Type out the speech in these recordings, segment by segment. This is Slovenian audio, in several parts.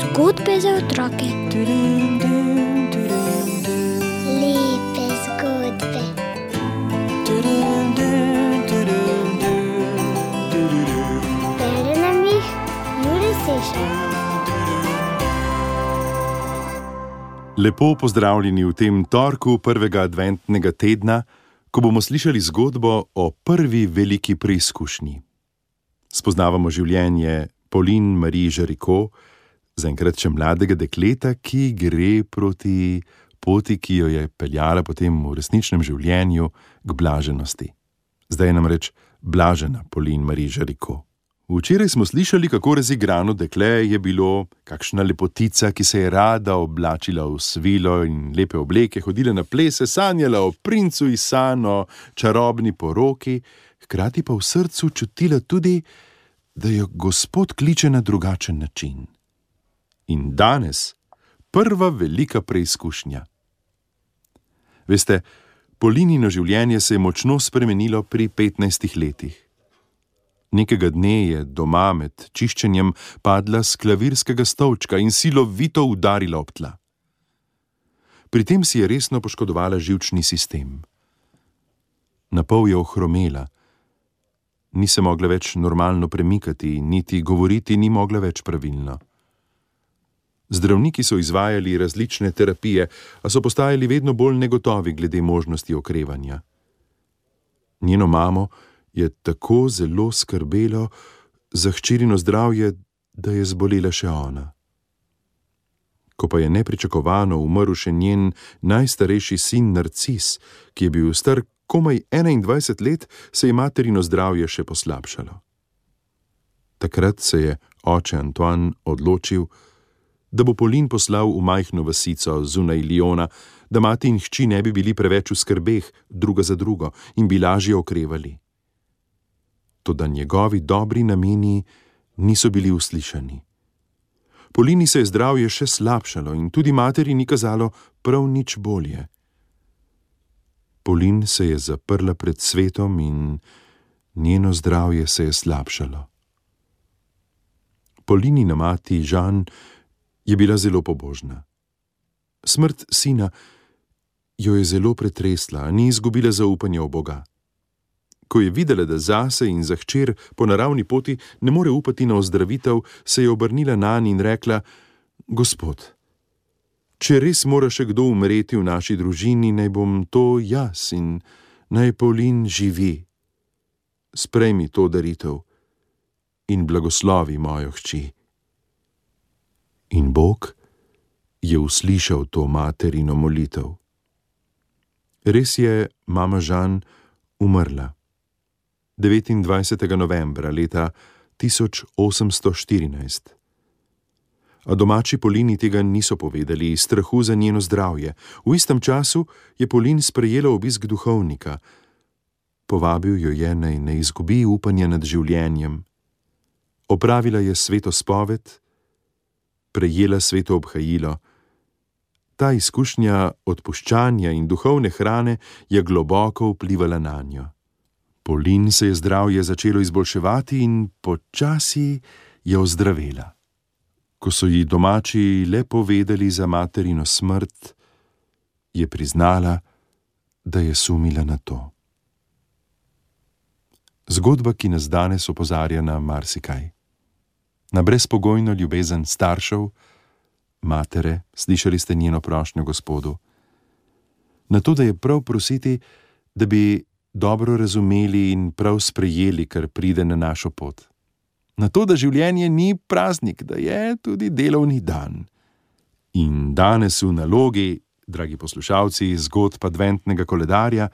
Zgodbe za otroke. Lepe zgodbe. Bere nam jih Jure Sešar. Lepo pozdravljeni v tem torku prvega adventnega tedna, ko bomo slišali zgodbo o prvi veliki preizkušnji. Spoznavamo življenje Pauline Marie Jaricot, zaenkrat še mladega dekleta, ki gre proti poti, ki jo je peljala potem v resničnem življenju k blaženosti. Zdaj je namreč blažena Pauline Marie Jaricot. Včeraj smo slišali, kako razigrano dekle je bilo, kakšna lepotica, ki se je rada oblačila v svilo in lepe obleke, hodila na plese, sanjala o princu iz sanj, o čarobni poroki, hkrati pa v srcu čutila tudi, da jo Gospod kliče na drugačen način. In danes prva velika preizkušnja. Veste, Paulinino življenje se je močno spremenilo pri 15 letih. Nekega dne je doma med čiščenjem padla s klavirskega stolčka in silovito udarila ob tla. Pri tem si je resno poškodovala živčni sistem. Napol je ohromela. Ni se mogla več normalno premikati, niti govoriti ni mogla več pravilno. Zdravniki so izvajali različne terapije, a so postajali vedno bolj negotovi glede možnosti okrevanja. Njeno mamo je tako zelo skrbelo za hčerino zdravje, da je zbolela še ona. Ko pa je nepričakovano umrl še njen najstarejši sin Narcis, ki je bil star komaj 21 let, se je materino zdravje še poslabšalo. Takrat se je oče Antoine odločil, da bo Pauline poslal v majhno vasico zunaj Lyona, da mati in hči ne bi bili preveč v skrbeh druga za drugo in bi lažje okrevali. Toda njegovi dobri nameni niso bili uslišani. Paulini se je zdravje še slabšalo in tudi materi ni kazalo prav nič bolje. Pauline se je zaprla pred svetom in njeno zdravje se je slabšalo. Paulinina mati Jeanne je bila zelo pobožna. Smrt sina jo je zelo pretresla, ni izgubila zaupanja v Boga. Ko je videla, da zase in za hčer po naravni poti ne more upati na ozdravitev, se je obrnila nanj in rekla: Gospod, če res mora še kdo umreti v naši družini, naj bom to jaz in naj Pauline živi. Sprejmi to daritev in blagoslovi mojo hči. In Bog je uslišal to materino molitev. Res je mama Jeanne umrla 29. novembra leta 1814. A domači Paulini tega niso povedali iz strahu za njeno zdravje. V istem času je Pauline sprejela obisk duhovnika. Povabil jo je, naj ne izgubi upanja nad življenjem. Opravila je sveto spoved, prejela sveto obhajilo. Ta izkušnja odpuščanja in duhovne hrane je globoko vplivala nanjo. Pauline se je zdravje začelo izboljševati in počasi je ozdravela. Ko so ji domači le povedali za materino smrt, je priznala, da je sumila na to. Zgodba, ki nas danes opozarja na marsikaj. Na brezpogojno ljubezen staršev, matere, slišali ste njeno prošnjo Gospodu. Na to, da je prav prositi, da bi dobro razumeli in prav sprejeli, kar pride na našo pot. Na to, da življenje ni praznik, da je tudi delovni dan. In danes v nalogi, dragi poslušalci, zgodb adventnega koledarja,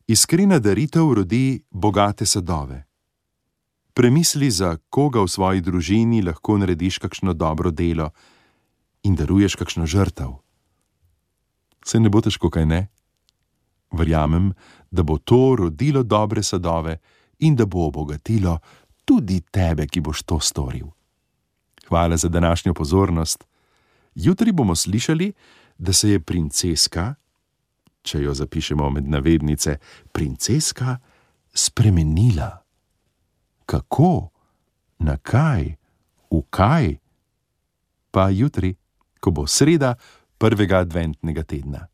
iskrena daritev rodi bogate sadove. Premisli, za koga v svoji družini lahko narediš kakšno dobro delo in daruješ kakšno žrtev. Se ne bo težko, kaj ne? Verjamem, da bo to rodilo dobre sadove in da bo obogatilo tudi tebe, ki boš to storil. Hvala za današnjo pozornost. Jutri bomo slišali, da se je princeska, če jo zapišemo med navednice, princeska spremenila. Kako? Na kaj? V kaj? Pa jutri, ko bo sreda prvega adventnega tedna.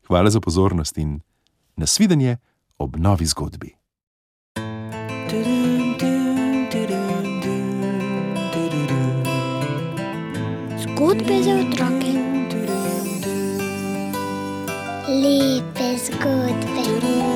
Hvala za pozornost in nasvidenje ob novi zgodbi. Zgodbe za otroke. Lepe zgodbe.